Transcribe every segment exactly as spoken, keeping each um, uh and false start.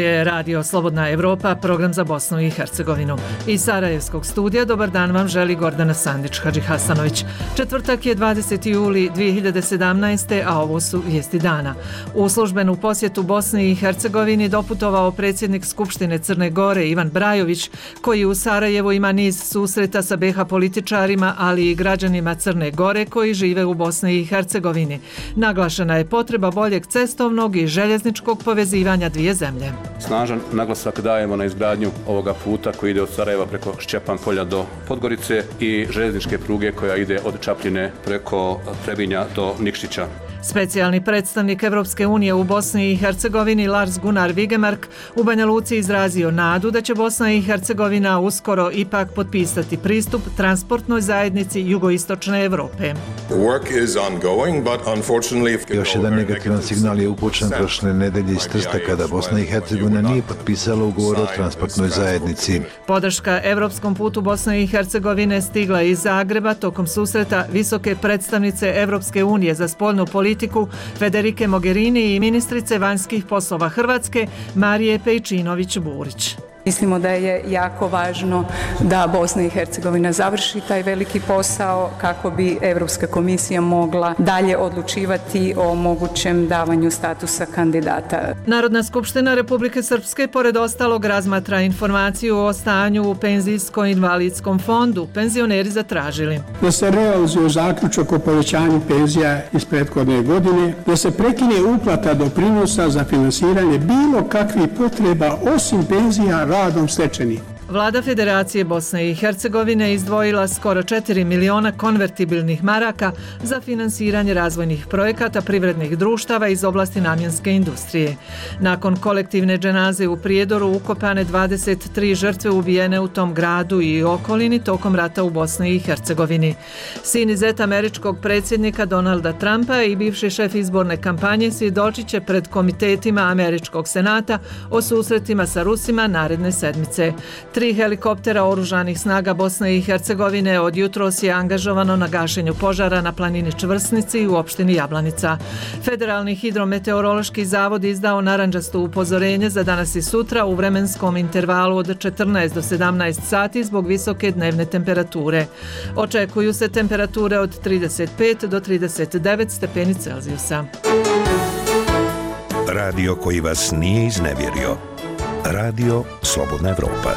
je Radio Slobodna Evropa, program za Bosnu i Hercegovinu. Iz Sarajevskog studija dobar dan vam želi Gordana Sandić-Hadži Hasanović. Četvrtak je dvadeseti juli dvije hiljade sedamnaeste. a ovo su vijesti dana. U službenu posjetu Bosni i Hercegovini doputovao predsjednik Skupštine Crne Gore Ivan Brajović, koji u Sarajevu ima niz susreta sa be ha političarima, ali i građanima Crne Gore koji žive u Bosni i Hercegovini. Naglašena je potreba boljeg cestovnog i željezničkog povezivanja dvije zemlje. Snažan naglasak dajemo na izgradnju ovoga puta koji ide od Sarajeva preko Šćepan polja do Podgorice i željezničke pruge koja ide od Čapljine preko Trebinja do Nikšića. Specijalni predstavnik Evropske unije u Bosni i Hercegovini Lars Gunnar Vigemark u Banja Luci izrazio nadu da će Bosna i Hercegovina uskoro ipak potpisati pristup transportnoj zajednici jugoistočne Evrope. Još jedan negativan signal je upućen prošle nedelje iz Trsta kada Bosna i Hercegovina nije potpisala ugovor o transportnoj zajednici. Podrška evropskom putu Bosne i Hercegovine stigla iz Zagreba tokom susreta visoke predstavnice Evropske unije za spoljnu politiku Federike Mogherini i ministrice vanjskih poslova Hrvatske Marije Pejčinović-Burić. Mislimo da je jako važno da Bosna i Hercegovina završi taj veliki posao kako bi Europska komisija mogla dalje odlučivati o mogućem davanju statusa kandidata. Narodna skupština Republike Srpske pored ostalog razmatra informaciju o stanju u penzijsko-invalidskom fondu. Penzioneri zatražili da se realizuje zaključak o povećanju penzija iz prethodne godine, da se prekine uplata doprinosa za finansiranje bilo kakvih potreba osim penzija radom stečenih. Vlada Federacije Bosne i Hercegovine izdvojila skoro četiri miliona konvertibilnih maraka za finansiranje razvojnih projekata privrednih društava iz oblasti namjenske industrije. Nakon kolektivne dženaze u Prijedoru ukopane dvadeset tri žrtve ubijene u tom gradu i okolini tokom rata u Bosni i Hercegovini. Sin i zet američkog predsjednika Donalda Trumpa i bivši šef izborne kampanje svjedočit će pred komitetima američkog senata o susretima sa Rusima naredne sedmice. Tri helikoptera oružanih snaga Bosne i Hercegovine od jutros je angažovano na gašenju požara na planini Čvrsnici u opštini Jablanica. Federalni hidrometeorološki zavod izdao narandžasto upozorenje za danas i sutra u vremenskom intervalu od četrnaest do sedamnaest sati zbog visoke dnevne temperature. Očekuju se temperature od trideset pet do trideset devet stepeni Celzijusa. Radio koji vas nije iznevjerio. Radio Slobodna Evropa.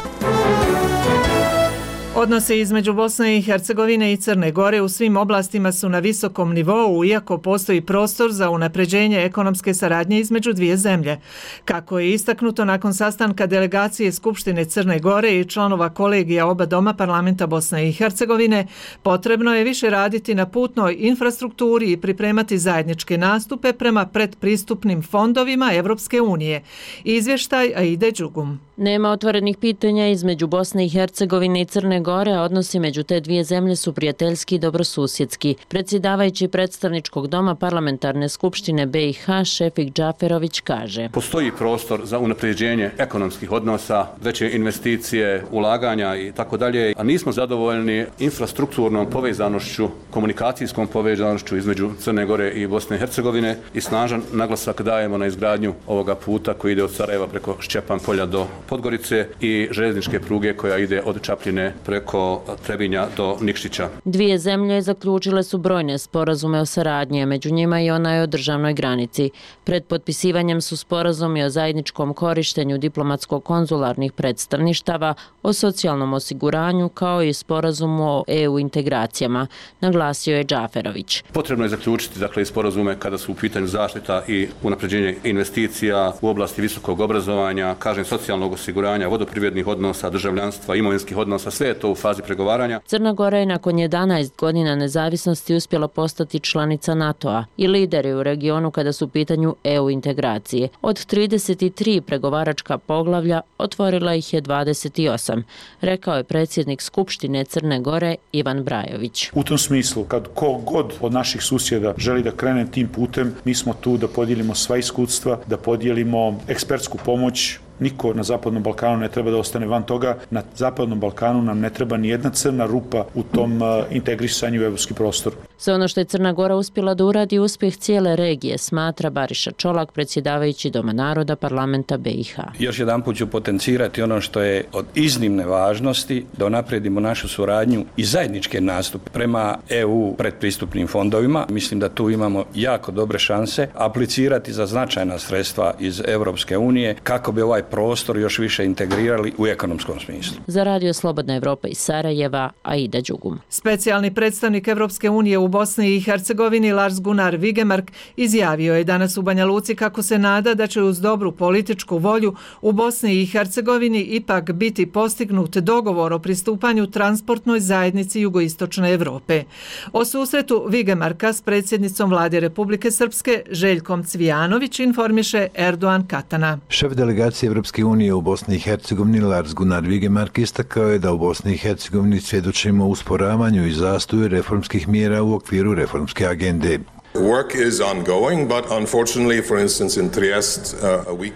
Odnose između Bosne i Hercegovine i Crne Gore u svim oblastima su na visokom nivou, iako postoji prostor za unapređenje ekonomske saradnje između dvije zemlje. Kako je istaknuto nakon sastanka delegacije Skupštine Crne Gore i članova kolegija oba doma parlamenta Bosne i Hercegovine, potrebno je više raditi na putnoj infrastrukturi i pripremati zajedničke nastupe prema predpristupnim fondovima Evropske unije. Izvještaj Aide Đugum. Nema otvorenih pitanja između Bosne i Hercegovine i Crne Gore, a odnosi među te dvije zemlje su prijateljski i dobrosusjedski. Predsjedavajući predstavničkog doma parlamentarne skupštine be i ha Šefik Džaferović kaže: Postoji prostor za unapređenje ekonomskih odnosa, veće investicije, ulaganja i tako dalje, a nismo zadovoljni infrastrukturnom povezanošću, komunikacijskom povezanošću između Crne Gore i Bosne i Hercegovine i snažan naglasak dajemo na izgradnju ovoga puta koji ide od Sarajeva preko Šćepan polja do Podgorice i željezničke pruge koja ide od Čapljine preko Trebinja do Nikšića. Dvije zemlje zaključile su brojne sporazume o saradnji, među njima i onaj o državnoj granici. Pred potpisivanjem su sporazumi o zajedničkom korištenju diplomatsko-konzularnih predstavništava, o socijalnom osiguranju kao i sporazumu o e u integracijama, naglasio je Džaferović. Potrebno je zaključiti dakle sporazume kada su u pitanju zaštita i unapređenje investicija u oblasti visokog obrazovanja, kažem socijalnog osiguranja, vodoprivrednih odnosa, državljanstva, imovinskih odnosa, sve je to u fazi pregovaranja. Crna Gora je nakon jedanaest godina nezavisnosti uspjela postati članica NATO-a i lideri u regionu kada su u pitanju e u integracije. Od trideset tri pregovaračka poglavlja otvorila ih je dvadeset osam, rekao je predsjednik Skupštine Crne Gore Ivan Brajović. U tom smislu, kad ko god od naših susjeda želi da krene tim putem, mi smo tu da podijelimo sva iskustva, da podijelimo ekspertsku pomoć, Niko na Zapadnom Balkanu ne treba da ostane van toga. Na Zapadnom Balkanu nam ne treba ni jedna crna rupa u tom integrisanju u evropski prostor. Sve ono što je Crna Gora uspjela da uradi uspjeh cijele regije, smatra Bariša Čolak, predsjedavajući Doma naroda parlamenta B i H. Još jedan put ću potencirati ono što je od iznimne važnosti, da unaprijedimo našu suradnju i zajedničke nastupe prema E U predpristupnim fondovima. Mislim da tu imamo jako dobre šanse aplicirati za značajna sredstva iz Europske unije kako bi ovaj prostor još više integrirali u ekonomskom smislu. Za Radio Slobodna Evropa iz Sarajeva, Aida Đugum. Specijalni predstavnik Evropske unije u Bosni i Hercegovini Lars Gunnar Vigemark izjavio je danas u Banja Luci kako se nada da će uz dobru političku volju u Bosni i Hercegovini ipak biti postignut dogovor o pristupanju transportnoj zajednici jugoistočne Evrope. O susretu Vigemarka s predsjednicom vlade Republike Srpske Željkom Cvijanović informiše Erdogan Katana. Šef delegacije Evropske unije u Bosni i Hercegovini Lars Gunnar Vigemark istakao je da u Bosni i Hercegovini svjedočimo usporavanju i zastoju reformskih mjera u okviru reformske agende.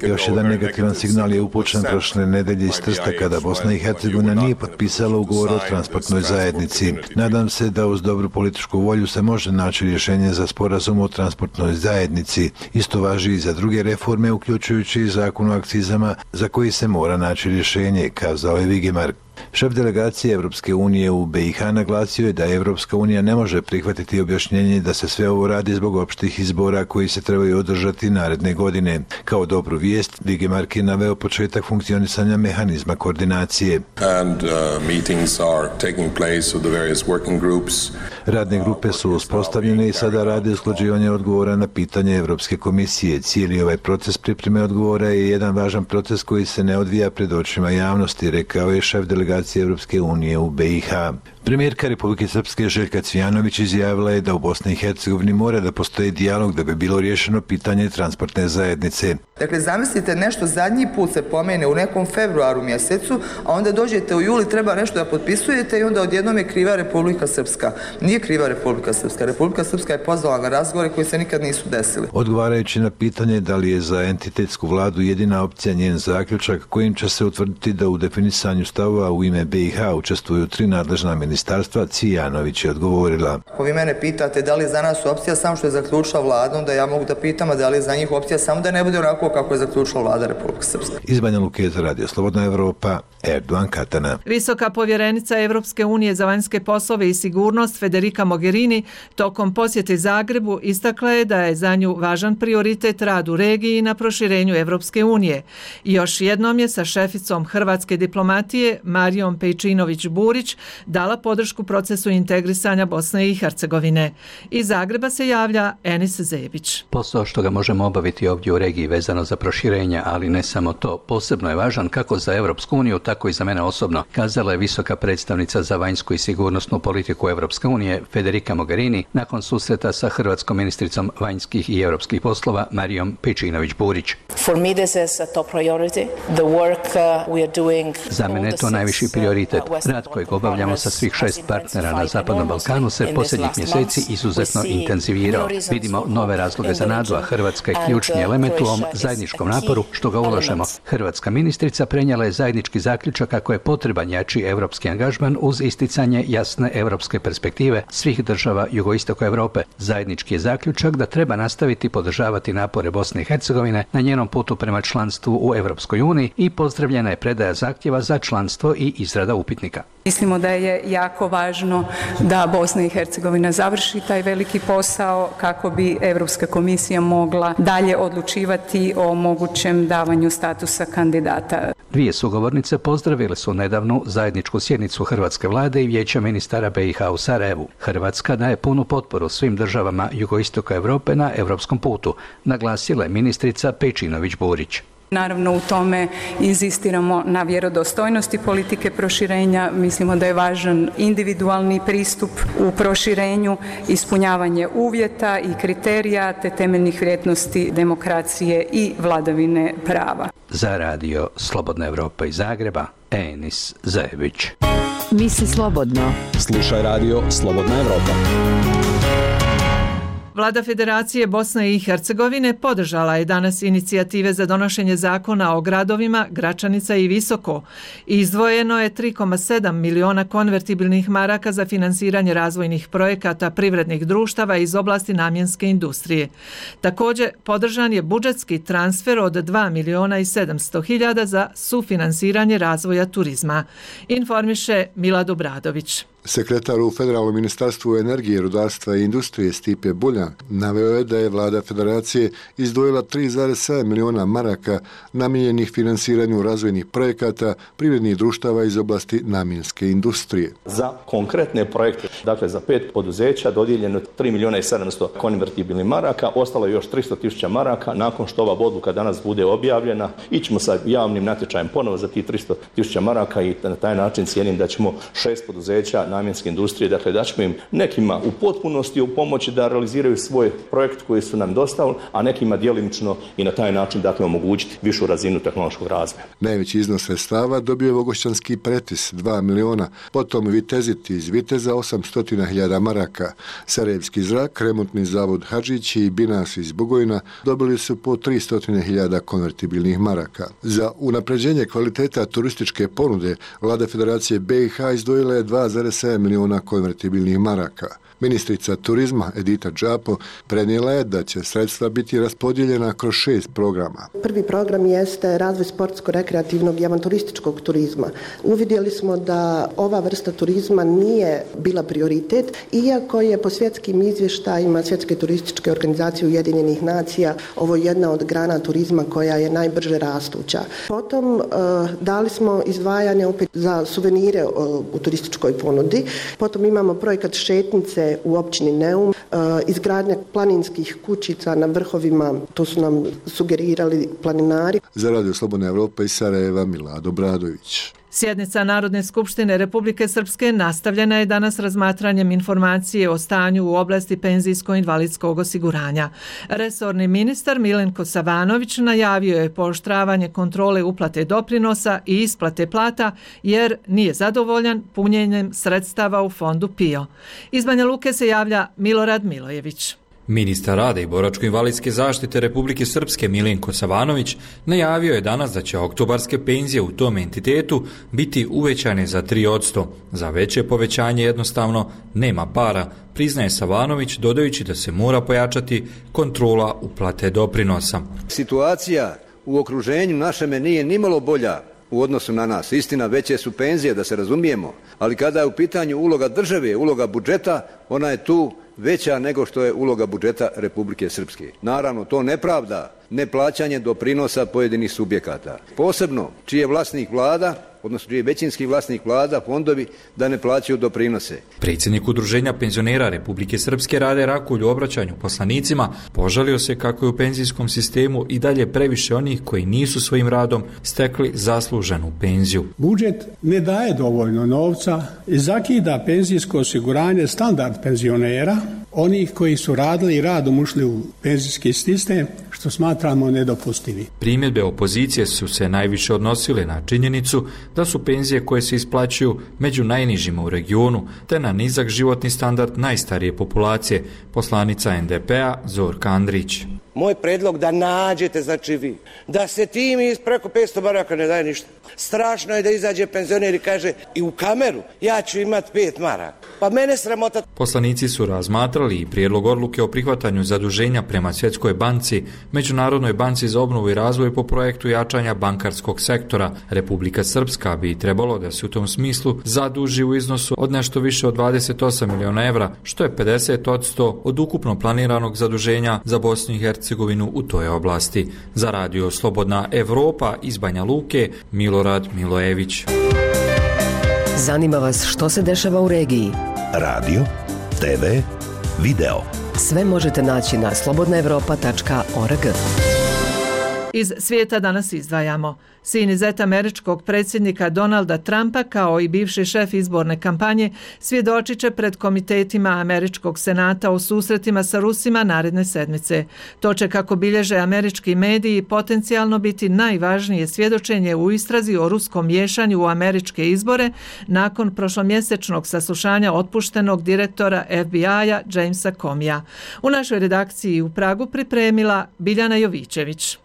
Još jedan negativan signal je upućen prošle nedelje iz Trsta kada Bosna i Hercegovina nije potpisala ugovor o transportnoj zajednici. Nadam se da uz dobru političku volju se može naći rješenje za sporazum o transportnoj zajednici. Isto važi i za druge reforme, uključujući i zakon o akcizama za koji se mora naći rješenje, kazao je Vigemark. Šef delegacije Evropske unije u B i H naglasio je da Evropska unija ne može prihvatiti objašnjenje da se sve ovo radi zbog opštih izbora koji se trebaju održati naredne godine. Kao dobru vijest, Vigemark je naveo početak funkcionisanja mehanizma koordinacije. And, uh, meetings are taking place with the various working groups. Radne grupe su uspostavljene i sada rade usklađivanje odgovora na pitanje Evropske komisije. Cijeli ovaj proces pripreme odgovora je jedan važan proces koji se ne odvija pred očima javnosti, rekao je šef delegacije Evropske unije u B i H. Premijerka Republike Srpske Željka Cvijanović izjavila je da u Bosni i Hercegovini mora da postoji dijalog da bi bilo riješeno pitanje transportne zajednice. Dakle, zamislite, nešto zadnji put se pomene u nekom februaru mjesecu, a onda dođete u juli, treba nešto da potpisujete i onda odjednom je kriva Republika Srpska. Nije kriva Republika Srpska. Republika Srpska je pozvala na razgovore koji se nikad nisu desili. Odgovarajući na pitanje da li je za entitetsku vladu jedina opcija njen zaključak kojim će se utvrditi da u definisanju stavova u ime B i H učestvuju tri nadležna ministarstva, Cvijanović je odgovorila. Ako vi mene pitate da li je za nas opcija samo što je zaključila vlada, onda ja mogu da pitam, a da li je za njih opcija samo da ne bude onako kako je zaključila vlada Republike Srpske. Iz Banja Luke za Radio Slobodna Evropa, Erdogan Katana. Visoka povjerenica Evropske unije za vanjske poslove i sigurnost Federica Mogherini tokom posjete Zagrebu istakla je da je za nju važan prioritet rad u regiji na proširenju Evropske unije. Još jednom je sa šeficom hrvatske diplomatije Marijom Pejčinović-Burić dala podršku procesu integrisanja Bosne i Hercegovine. Iz Zagreba se javlja Enis Zebić. Posao što ga možemo obaviti ovdje u regiji vezano za proširenje, ali ne samo to, posebno je važan kako za Evropsku uniju, tako i za mene osobno, kazala je visoka predstavnica za vanjsku i sigurnosnu politiku Evropske unije Federica Mogherini nakon susreta sa hrvatskom ministricom vanjskih i europskih poslova Marijom Pejčinović-Burić. Za mene je to najviši prioritet. Rad kojeg obavljamo sa svih šest partnera na Zapadnom Balkanu se posljednjih mjeseci izuzetno intenzivirao. Vidimo nove razloge za nadu, a Hrvatska je ključni element u ovom zajedničkom naporu što ga ulažemo. Hrvatska ministrica prenijela je zajednički zaključak kako je potreban jači evropski angažman uz isticanje jasne evropske perspektive svih država jugoistoka Europe. Zajednički je zaključak da treba nastaviti podržavati napore Bosne i Hercegovine na njenom putu prema članstvu u Europskoj uniji i pozdravljena je predaja zahtjeva za članstvo i izrada upitnika. Mislimo da je jako važno da Bosna i Hercegovina završi taj veliki posao kako bi Europska komisija mogla dalje odlučivati o mogućem davanju statusa kandidata. Dvije sugovornice pozdravile su nedavnu zajedničku sjednicu hrvatske vlade i vijeća ministara B i H u Sarajevu. Hrvatska daje punu potporu svim državama jugoistoka Europe na europskom putu, naglasila je ministrica Pejčinović-Burić. Naravno, u tome inzistiramo na vjerodostojnosti politike proširenja. Mislimo da je važan individualni pristup u proširenju, ispunjavanje uvjeta i kriterija te temeljnih vrijednosti demokracije i vladavine prava. Za Radio Slobodna Evropa iz Zagreba, Enis Zebić. Misli slobodno. Slušaj Radio Slobodna Evropa. Vlada Federacije Bosne i Hercegovine podržala je danas inicijative za donošenje zakona o gradovima Gračanica i Visoko. Izdvojeno je tri zarez sedam miliona konvertibilnih maraka za finansiranje razvojnih projekata privrednih društava iz oblasti namjenske industrije. Također, podržan je budžetski transfer od dva miliona i sedamsto hiljada za sufinansiranje razvoja turizma. Informiše Milad Obradović. Sekretar u Federalnom ministarstvu energije, rudarstva i industrije Stipe Buljan naveo je da je Vlada Federacije izdvojila tri zarez sedam miliona maraka namijenjenih finansiranju razvojnih projekata privrednih društava iz oblasti namjenske industrije. Za konkretne projekte, dakle za pet poduzeća dodijeljeno tri miliona i sedamsto konvertibilnih maraka, ostalo je još tristo tisuća maraka. Nakon što ova odluka danas bude objavljena, ićemo sa javnim natječajem ponovo za tih tristo tisuća maraka i na taj način cijenim da ćemo šest poduzeća namjenske industrije, dakle da ćemo im nekima u potpunosti u pomoći da realiziraju svoj projekt koji su nam dostavili, a nekima djelimično i na taj način dakle omogućiti višu razinu tehnološkog razvoja. Najveći iznos sredstava dobio je Vogošćanski Pretis dva miliona, potom Vitezit iz Viteza osamsto hiljada maraka, Sarajevski zrak, Remontni zavod Hadžić i Binas iz Bugojna dobili su po tristo hiljada konvertibilnih maraka. Za unapređenje kvaliteta turističke ponude Vlada Federacije B i H izdvojila je dva zarez sedam miliona konvertibilnih maraka. Ministrica turizma Edita Džapo prenijela je da će sredstva biti raspodijeljena kroz šest programa. Prvi program jeste razvoj sportsko-rekreativnog i avanturističkog turizma. Uvidjeli smo da ova vrsta turizma nije bila prioritet, iako je po svjetskim izvještajima Svjetske turističke organizacije Ujedinjenih nacija ovo jedna od grana turizma koja je najbrže rastuća. Potom dali smo izdvajanje opet za suvenire u turističkoj ponudi. Potom imamo projekat šetnice u općini Neum, izgradnja planinskih kućica na vrhovima, to su nam sugerirali planinari. Za Radio Slobodna Evropa iz Sarajeva, Milad Obradović. Sjednica Narodne skupštine Republike Srpske nastavljena je danas razmatranjem informacije o stanju u oblasti penzijsko-invalidskog osiguranja. Resorni ministar Milenko Savanović najavio je pooštravanje kontrole uplate doprinosa i isplate plata jer nije zadovoljan punjenjem sredstava u fondu P I O. Iz Banja Luke se javlja Milorad Milojević. Ministar rada i boračko-invalidske zaštite Republike Srpske Milenko Savanović najavio je danas da će oktobarske penzije u tom entitetu biti uvećane za tri posto. Za veće povećanje jednostavno nema para, priznaje Savanović, dodajući da se mora pojačati kontrola uplate doprinosa. Situacija u okruženju našeme nije nimalo bolja u odnosu na nas. Istina, veće su penzije, da se razumijemo, ali kada je u pitanju uloga države, uloga budžeta, ona je tu veća nego što je uloga budžeta Republike Srpske. Naravno, to ne pravda neplaćanje doprinosa pojedinih subjekata. Posebno čiji je vlasnik vlada, odnosno čiji je većinski vlasnik vlada, fondovi, da ne plaćaju doprinose. Predsjednik Udruženja penzionera Republike Srpske Rade Rakulj u obraćanju poslanicima požalio se kako je u penzijskom sistemu i dalje previše onih koji nisu svojim radom stekli zasluženu penziju. Budžet ne daje dovoljno novca i zakida penzijsko osiguranje standard penzionera, onih koji su radili i radom ušli u penzijski sistem, što smatramo nedopustivi. Primjedbe opozicije su se najviše odnosile na činjenicu da su penzije koje se isplaćuju među najnižima u regionu, te na nizak životni standard najstarije populacije, poslanica en de pe a Zorka Andrić. Moj predlog da nađete, znači vi, da se tim iz preko petsto maraka ne daje ništa. Strašno je da izađe penzioner i kaže i u kameru ja ću imati pet maraka. Pa mene sramota. Poslanici su razmatrali i prijedlog odluke o prihvatanju zaduženja prema Svjetskoj banci, Međunarodnoj banci za obnovu i razvoj po projektu jačanja bankarskog sektora. Republika Srpska bi trebalo da se u tom smislu zaduži u iznosu od nešto više od dvadeset osam miliona evra, što je pedeset posto od ukupno planiranog zaduženja za Bosnu i Hercegovinu u toj oblasti. Za Radio Slobodna Evropa iz Banja Luke, Milorad Milojević. Zanima vas što se dešava u regiji? Radio, te ve, video. Sve možete naći na slobodna evropa tačka org. Iz svijeta danas izdvajamo. Sin i zet američkog predsjednika Donalda Trumpa, kao i bivši šef izborne kampanje, svjedočit će pred komitetima američkog senata o susretima sa Rusima naredne sedmice. To će, kako bilježe američki mediji, potencijalno biti najvažnije svjedočenje u istrazi o ruskom miješanju u američke izbore nakon prošlomjesečnog saslušanja otpuštenog direktora F B I-a Jamesa Comeyja. U našoj redakciji u Pragu pripremila Biljana Jovićević.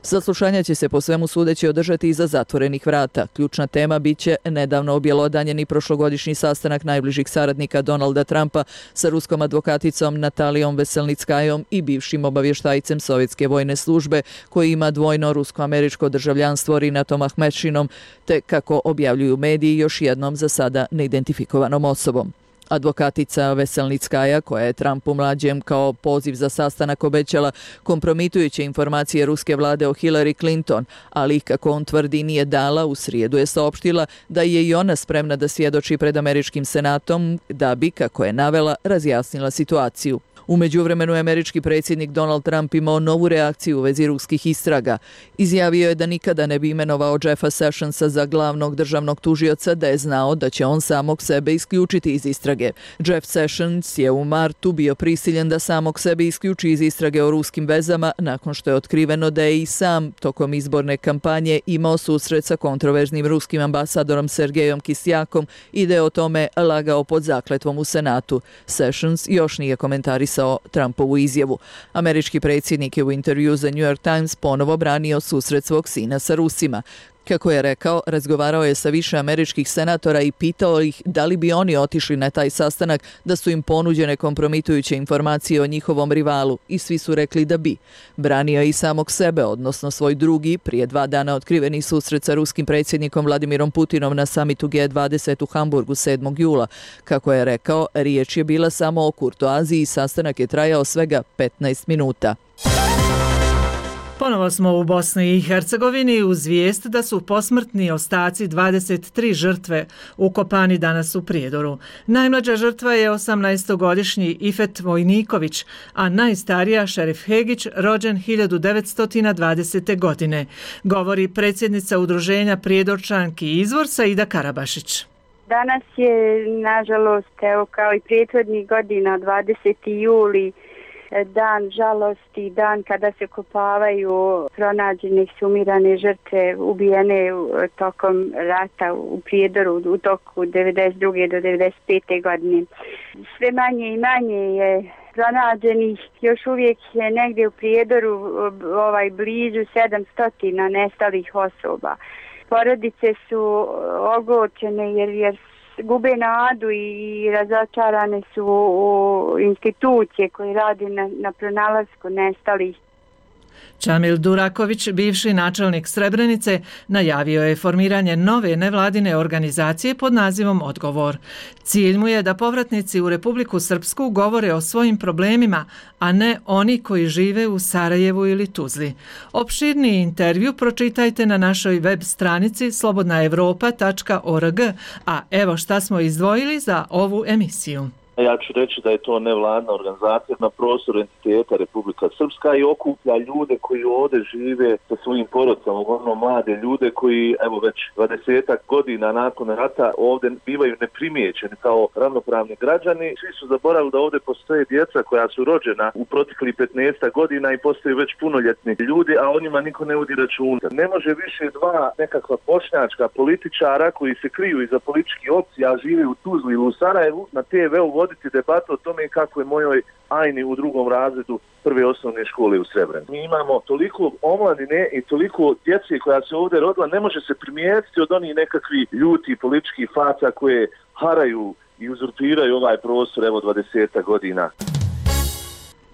Saslušanja će se po svemu sudeći održati iza zatvorenih vrata. Ključna tema biće nedavno objelodanjeni prošlogodišnji sastanak najbližih saradnika Donalda Trumpa sa ruskom advokaticom Natalijom Veselnickajom i bivšim obavještajcem Sovjetske vojne službe koji ima dvojno rusko-američko državljanstvo Rinatom Ahmedšinom, te, kako objavljuju mediji, još jednom za sada neidentifikovanom osobom. Advokatica Veselnickaja, koja je Trumpu mlađem kao poziv za sastanak obećala kompromitujuće informacije ruske vlade o Hillary Clinton, ali kako on tvrdi nije dala, u srijedu je saopštila da je i ona spremna da svjedoči pred američkim senatom da bi, kako je navela, razjasnila situaciju. U međuvremenu je američki predsjednik Donald Trump imao novu reakciju u vezi ruskih istraga. Izjavio je da nikada ne bi imenovao Jeffa Sessionsa za glavnog državnog tužioca da je znao da će on samog sebe isključiti iz istrage. Jeff Sessions je u martu bio prisiljen da samog sebe isključi iz istrage o ruskim vezama nakon što je otkriveno da je i sam tokom izborne kampanje imao susret sa kontroverznim ruskim ambasadorom Sergejom Kisjakom i da je o tome lagao pod zakletvom u Senatu. Sessions još nije komentarisao Trumpovu izjavu. Američki predsjednik je u intervju za New York Times ponovo branio susret svog sina sa Rusima. Kako je rekao, razgovarao je sa više američkih senatora i pitao ih da li bi oni otišli na taj sastanak da su im ponuđene kompromitujuće informacije o njihovom rivalu i svi su rekli da bi. Branio je i samog sebe, odnosno svoj drugi, prije dva dana otkriveni susret sa ruskim predsjednikom Vladimirom Putinom na samitu G dvadeset u Hamburgu sedmog jula. Kako je rekao, riječ je bila samo o kurtoaziji i sastanak je trajao svega petnaest minuta. Ponovo smo u Bosni i Hercegovini uz vijest da su posmrtni ostaci dvadeset tri žrtve ukopani danas u Prijedoru. Najmlađa žrtva je osamnaestogodišnji Ifet Vojniković, a najstarija Šerif Hegić, rođen hiljadu devetsto dvadesete. godine, govori predsjednica udruženja Prijedorčanki Izvor Saida Karabašić. Danas je, nažalost, evo kao i prethodnih godina, dvadeseti juli, dan žalosti, dan kada se kopavaju pronađene sumirane žrtve ubijene tokom rata u Prijedoru u toku devedeset druge do devedeset pete. godine. Sve manje i manje je pronađenih, još uvijek je negdje u Prijedoru ovaj, blizu sedamsto nestalih osoba. Porodice su ogorčene jer, jer gube nadu i razočarane su u institucije koje rade na, na pronalasku nestalih. Čamil Duraković, bivši načelnik Srebrenice, najavio je formiranje nove nevladine organizacije pod nazivom Odgovor. Cilj mu je da povratnici u Republiku Srpsku govore o svojim problemima, a ne oni koji žive u Sarajevu ili Tuzli. Opširniji intervju pročitajte na našoj web stranici slobodna europa tačka org, a evo šta smo izdvojili za ovu emisiju. Ja ću reći da je to nevladna organizacija na prostoru entiteta Republika Srpska i okuplja ljude koji ovdje žive sa svojim porodicama, uglavnom mlade ljude koji evo već dvadesetak godina nakon rata ovdje bivaju neprimijećeni kao ravnopravni građani. Svi su zaboravili da ovdje postoje djeca koja su rođena u proteklih petnaest godina i postaju već punoljetni ljudi, a o njima niko ne vodi računa. Ne može više dva nekakva bošnjačka političara koji se kriju iza političkih opcija, a žive u Tuzli ili u Sarajevu, na te ve u voditi debatu o tome kako je mojoj Ajni u drugom razredu prve osnovne škole u Srebrenici. Mi imamo toliko omladine i toliko djece koja se ovdje rodila, ne može se primijetiti od onih nekakvih ljuti političkih faca koje haraju i uzurpiraju ovaj prostor evo dvadeset godina.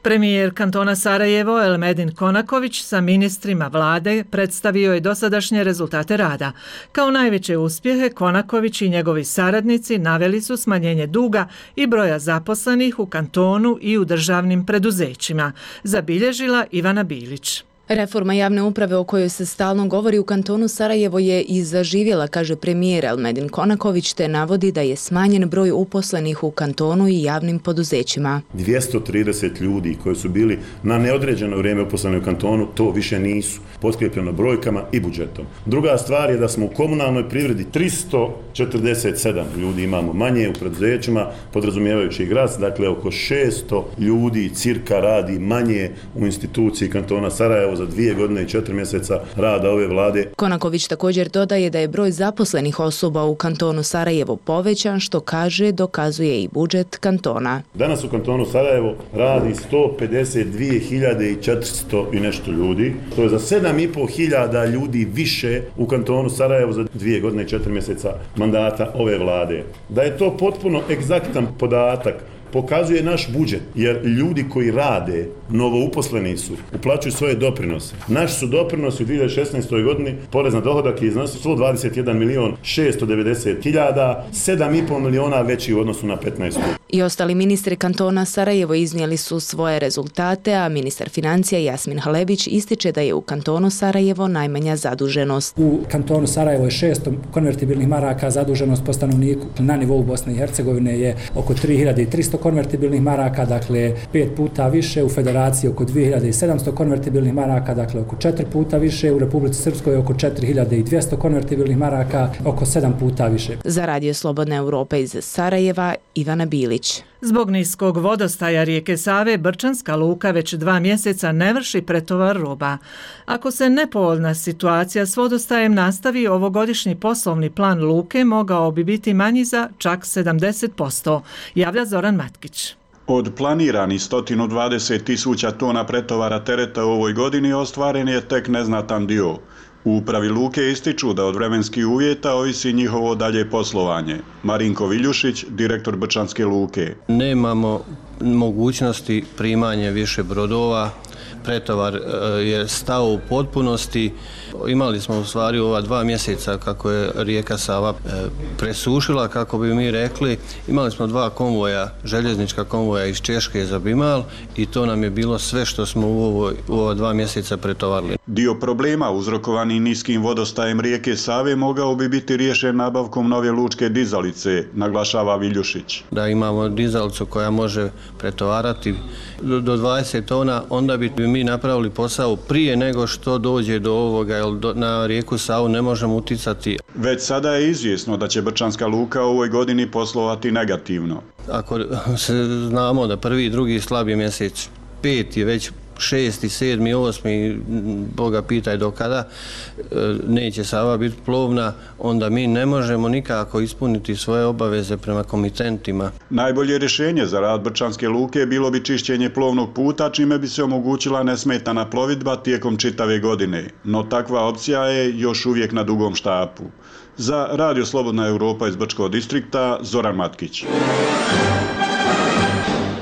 Premijer kantona Sarajevo Elmedin Konaković sa ministrima vlade predstavio je dosadašnje rezultate rada. Kao najveće uspjehe Konaković i njegovi saradnici naveli su smanjenje duga i broja zaposlenih u kantonu i u državnim preduzećima, zabilježila Ivana Bilić. Reforma javne uprave o kojoj se stalno govori u kantonu Sarajevo je i zaživjela, kaže premijer Elmedin Konaković, te navodi da je smanjen broj uposlenih u kantonu i javnim poduzećima. dvjesto trideset ljudi koji su bili na neodređeno vrijeme uposleni u kantonu, to više nisu, potkrijepljeno brojkama i budžetom. Druga stvar je da smo u komunalnoj privredi tristo četrdeset sedam ljudi imamo manje u preduzećima, podrazumijevajući i grad, dakle oko šesto ljudi cirka radi manje u instituciji kantona Sarajevo za dvije godine i četiri mjeseca rada ove vlade. Konaković također dodaje da je broj zaposlenih osoba u kantonu Sarajevo povećan, što kaže dokazuje i budžet kantona. Danas u kantonu Sarajevo radi sto pedeset dvije hiljade četiristo i nešto ljudi. To je za sedam i pol hiljada ljudi više u kantonu Sarajevo za dvije godine i četiri mjeseca mandata ove vlade. Da je to potpuno egzaktan podatak pokazuje naš budžet, jer ljudi koji rade, novouposleni su, uplaćuju svoje doprinose. Naši su doprinosi u dvije hiljade šesnaestoj godini, porez na dohodak je iznosio sto dvadeset jedan milion šesto devedeset hiljada, sedam i pol miliona veći u odnosu na petnaestu. I ostali ministri kantona Sarajevo iznijeli su svoje rezultate, a ministar financija Jasmin Halebić ističe da je u kantonu Sarajevo najmanja zaduženost. U kantonu Sarajevo je šest konvertibilnih maraka, zaduženost po stanovniku na nivou Bosne i Hercegovine je oko tri hiljade tristo konvertibilnih maraka, dakle pet puta više, u Federaciji oko dvije hiljade sedamsto konvertibilnih maraka, dakle oko četiri puta više, u Republici Srpskoj oko četiri hiljade dvjesto konvertibilnih maraka, oko sedam puta više. Za Radio Slobodna Europa iz Sarajeva, Ivana Bilić. Zbog niskog vodostaja rijeke Save, Brčanska luka već dva mjeseca ne vrši pretovar roba. Ako se nepovoljna situacija s vodostajem nastavi, ovogodišnji poslovni plan luke mogao bi biti manji za čak sedamdeset posto, javlja Zoran Matkić. Od planiranih sto dvadeset tisuća tona pretovara tereta u ovoj godini ostvaren je tek neznatan dio. U upravi luke ističu da od vremenskih uvjeta ovisi njihovo dalje poslovanje. Marinko Viljušić, direktor Brčanske luke. Nemamo mogućnosti primanja više brodova, pretovar je stao u potpunosti. Imali smo u stvari ova dva mjeseca kako je rijeka Sava presušila, kako bi mi rekli. Imali smo dva konvoja, željeznička konvoja iz Češke za Bimal i to nam je bilo sve što smo u, ovoj, u ova dva mjeseca pretovarili. Dio problema uzrokovani niskim vodostajem rijeke Save mogao bi biti riješen nabavkom nove lučke dizalice, naglašava Viljušić. Da imamo dizalicu koja može pretovarati do dvadeset tona, onda bi mi napravili posao prije nego što dođe do ovoga, jer na rijeku Savu ne možemo uticati. Već sada je izvjesno da će Brčanska luka u ovoj godini poslovati negativno. Ako se znamo da prvi i drugi slabi mjesec, pet je već šesti, sedmi, osmi, Boga pitaj do kada, neće Sava biti plovna, onda mi ne možemo nikako ispuniti svoje obaveze prema komitentima. Najbolje rješenje za rad Brčanske luke bilo bi čišćenje plovnog puta, čime bi se omogućila nesmetana plovidba tijekom čitave godine. No takva opcija je još uvijek na dugom štapu. Za Radio Slobodna Europa iz Brčkog distrikta, Zoran Matkić.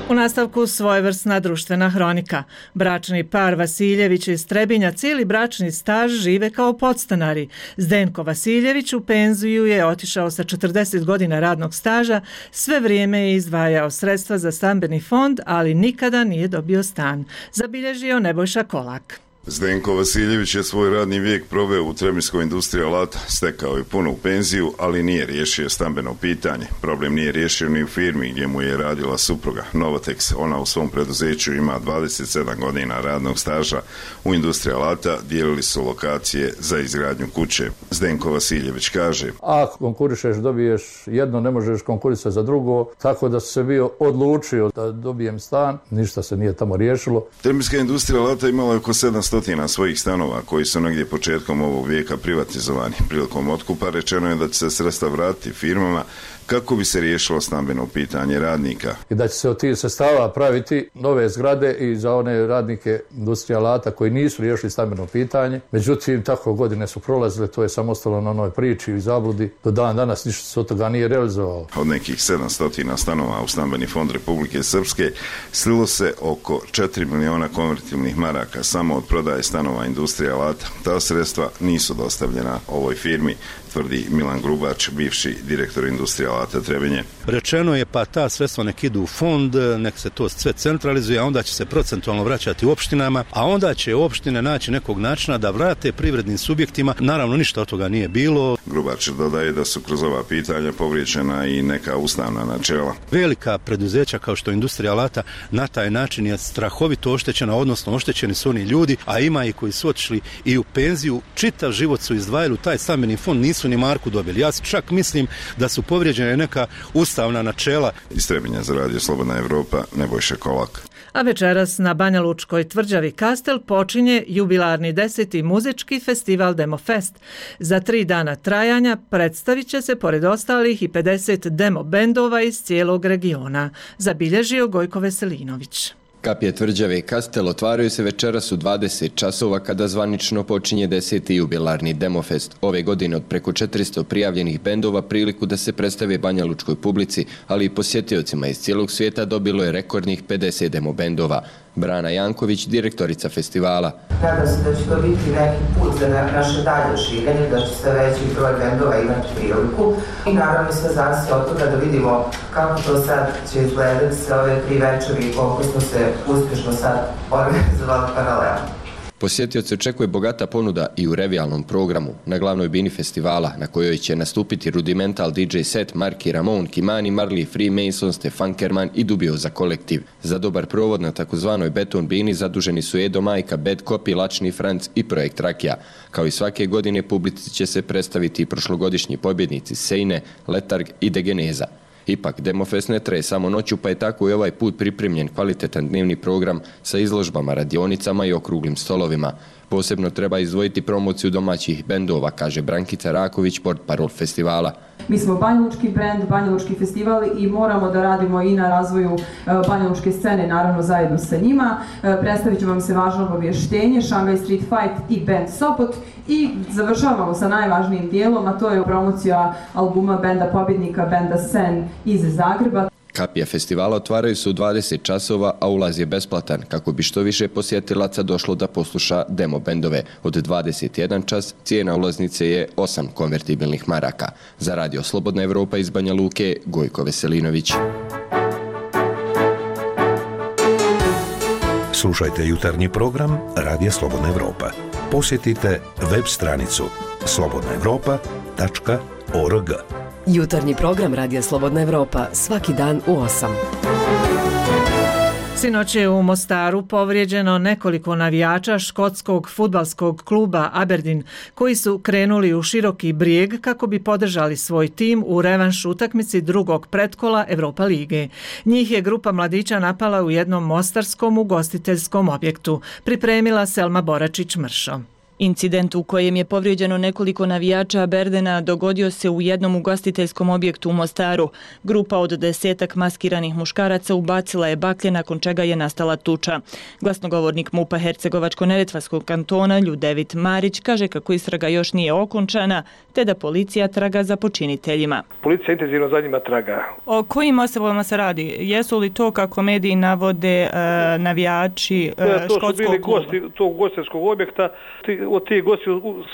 U nastavku svojevrsna društvena hronika. Bračni par Vasiljević iz Trebinja cijeli bračni staž žive kao podstanari. Zdenko Vasiljević u penziju je otišao sa četrdeset godina radnog staža, sve vrijeme je izdvajao sredstva za stambeni fond, ali nikada nije dobio stan. Zabilježio Nebojša Kolak. Zdenko Vasiljević je svoj radni vijek proveo u Trebinjskoj industriji alata, stekao je punu penziju, ali nije riješio stambeno pitanje. Problem nije riješio ni u firmi gdje mu je radila supruga Novotex. Ona u svom preduzeću ima dvadeset sedam godina radnog staža u industriji alata, dijelili su lokacije za izgradnju kuće. Zdenko Vasiljević kaže: ako konkurišeš, dobiješ jedno, ne možeš konkurisati za drugo, tako da se bio odlučio da dobijem stan, ništa se nije tamo riješilo. Trebinjska industrija alata imala je oko sedamsto svojih stanova koji su negdje početkom ovog vijeka privatizovani. Prilikom otkupa rečeno je da će se sredstva vratiti firmama kako bi se riješilo stambeno pitanje radnika. I da će se od tih sredstava praviti nove zgrade i za one radnike industrije alata koji nisu riješili stambeno pitanje. Međutim, tako godine su prolazile, to je samo ostalo na onoj priči i zabludi. Do dan danas ništa se od toga nije realizovalo. Od nekih sedamsto stanova u stambeni fond Republike Srpske slilo se oko četiri miliona konvertibilnih maraka samo od prodaje stanova industrije alata. Ta sredstva nisu dostavljena ovoj firmi, tvrdi Milan Grubač, bivši direktor industrije alata Trebinje. rečeno je pa ta sredstva nek idu u fond, nek se to sve centralizuje, a onda će se procentualno vraćati u opštinama, a onda će opštine naći nekog načina da vrate privrednim subjektima. Naravno, ništa od toga nije bilo. Grubačev dodaje da su kroz ova pitanja povrijeđena i neka ustavna načela. Velika preduzeća kao što je industrija alata na taj način je strahovito oštećena, odnosno oštećeni su oni ljudi, a ima i koji su otišli i u penziju, čitav život su izdvajali u taj stambeni fond, nisu ni marku dobili. Ja čak mislim da su povrijeđene neka ustavna načela. Iz Trebinja za radio Slobodna Evropa, Nebojša Kolak. A večeras na Banja Lučkoj tvrđavi Kastel počinje jubilarni deseti muzički festival Demofest. Za tri dana trajanja predstavit će se pored ostalih i pedeset demo bendova iz cijelog regiona, zabilježio Gojko Veselinović. Kapije tvrđave Kastel otvaraju se večeras u dvadeset časova kada zvanično počinje deseti jubilarni Demofest. Ove godine od preko četiristo prijavljenih bendova priliku da se predstave banjalučkoj publici, ali i posjetiocima iz cijelog svijeta dobilo je rekordnih pedeset demo bendova. Brana Janković, direktorica festivala. Nadam se da će to biti neki put za naše dalje širenje, da će sve veći broj bendova imati priliku i naravno sve zavisi od toga da vidimo kako to sad će izgledati sve ove tri večeri i koliko smo se uspješno sad organizovali paralelno. Posjetioce očekuje bogata ponuda i u revijalnom programu. Na glavnoj bini festivala, na kojoj će nastupiti Rudimental D J set, Marky Ramone, Kimani Marley, Freemason, Stefan Kerman i Dubioza kolektiv. Za dobar provod na takozvanoj beton bini zaduženi su Edo Majka, Bad Copy, Lačni Franc i Projekt Rakija. Kao i svake godine publici će se predstaviti i prošlogodišnji pobjednici Sejne, Letarg i Degeneza. Ipak, Demofest ne traje samo noću, pa je tako i ovaj put pripremljen kvalitetan dnevni program sa izložbama, radionicama i okruglim stolovima. Posebno treba izdvojiti promociju domaćih bendova, kaže Brankica Raković, portparol festivala. Mi smo banjalučki brend, banjalučki festival i moramo da radimo i na razvoju banjalučke scene, naravno zajedno sa njima. Predstavit ću vam se važno obavještenje, Shanghai Street Fight i band Sopot i završavamo sa najvažnijim dijelom, a to je promocija albuma benda pobjednika, benda Sen iz Zagreba. Kapije festivala otvaraju se u dvadeset časova, a ulaz je besplatan, kako bi što više posjetilaca došlo da posluša demo bendove. Od dvadeset jedan čas cijena ulaznice je osam konvertibilnih maraka. Za radio Slobodna Evropa iz Banja Luke, Gojko Veselinović. Slušajte jutarnji program Radija Slobodna Evropa. Posjetite web stranicu slobodna evropa tačka org. Jutarnji program Radija Slobodna Evropa svaki dan u osam. Sinoć je u Mostaru povrijeđeno nekoliko navijača škotskog fudbalskog kluba Aberdeen, koji su krenuli u Široki Brijeg kako bi podržali svoj tim u revanš utakmici drugog pretkola Europa lige. Njih je grupa mladića napala u jednom mostarskom ugostiteljskom objektu, pripremila Selma Boračić-Mršo. Incident u kojem je povrijeđeno nekoliko navijača Aberdena dogodio se u jednom ugostiteljskom objektu u Mostaru. Grupa od desetak maskiranih muškaraca ubacila je baklje nakon čega je nastala tuča. Glasnogovornik MUP-a Hercegovačko-Neretvanskog kantona Ljudevit Marić kaže kako istraga još nije okončana, te da policija traga za počiniteljima. Policija intenzivno za njima traga. O kojim osobama se radi? Jesu li to, kako mediji navode, e, navijači e, to škotskog su bili kluba? gosti tog ugostiteljskog objekta. Od tih gosti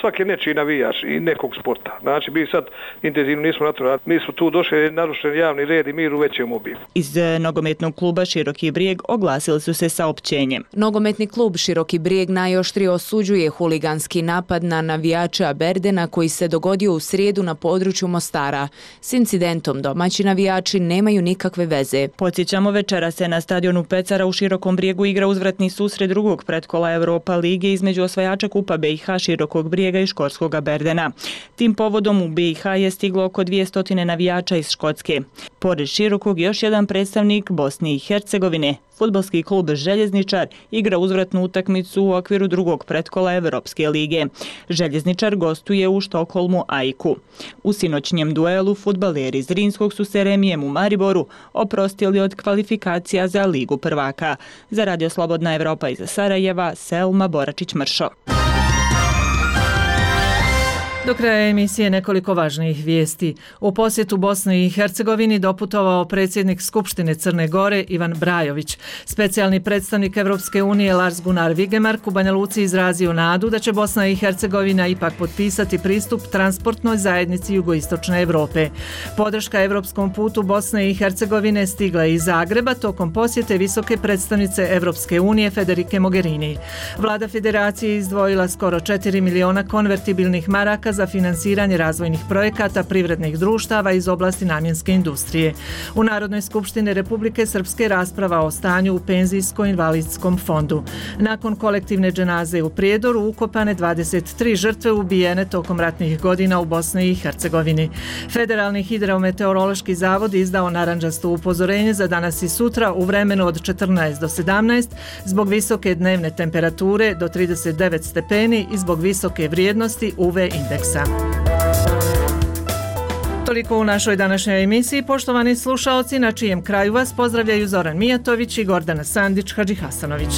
svaki nečiji navijač i nekog sporta. Znači, mi sad intenzivno nismo na to. Mi smo tu došli narušen javni red i mir u većem obimu. Iz nogometnog kluba Široki Brijeg oglasili su se saopćenjem. Nogometni klub Široki Brijeg najoštrije osuđuje huliganski napad na navijača Aberdena koji se dogodio u srijedu na području Mostara. S incidentom domaći navijači nemaju nikakve veze. Podsjećamo, večera se na stadionu Pecara u Širokom Brijegu igra uzvratni susret drugog pretkola Europa lige između osvajača kupa B i H Širokog Brijega i škotskog Aberdena. Tim povodom u B i H je stiglo oko dvjesto navijača iz Škotske. Pored Širokog još jedan predstavnik Bosne i Hercegovine. Fudbalski klub Željezničar igra uzvratnu utakmicu u okviru drugog pretkola Evropske lige. Željezničar gostuje u Štokholmu Ajku. U sinoćnjem duelu fudbaleri iz Zrinskog su se remijem u Mariboru oprostili od kvalifikacija za Ligu prvaka. Za Radio Slobodna Evropa iz Sarajeva, Selma Boračić-Mršo. Do kraja emisije nekoliko važnijih vijesti. U posjetu Bosni i Hercegovini doputovao predsjednik Skupštine Crne Gore Ivan Brajović. Specijalni predstavnik Evropske unije Lars Gunnar Vigemark u Banja Luci izrazio nadu da će Bosna i Hercegovina ipak potpisati pristup transportnoj zajednici jugoistočne Europe. Podrška evropskom putu Bosne i Hercegovine stigla je iz Zagreba tokom posjete visoke predstavnice Evropske unije Federike Mogherini. Vlada federacije izdvojila skoro četiri miliona konvertibilnih maraka za finansiranje razvojnih projekata privrednih društava iz oblasti namjenske industrije. U Narodnoj skupštini Republike Srpske rasprava o stanju u penzijsko-invalidskom fondu. Nakon kolektivne dženaze u Prijedoru ukopane dvadeset tri žrtve ubijene tokom ratnih godina u Bosni i Hercegovini. Federalni hidrometeorološki zavod izdao narandžasto upozorenje za danas i sutra u vremenu od četrnaest do sedamnaest zbog visoke dnevne temperature do trideset devet stepeni i zbog visoke vrijednosti U V indeksa. Toliko u našoj današnjoj emisiji, poštovani slušaoci, na čijem kraju vas pozdravljaju Zoran Mijatović i Gordana Sandić Hadžihasanović.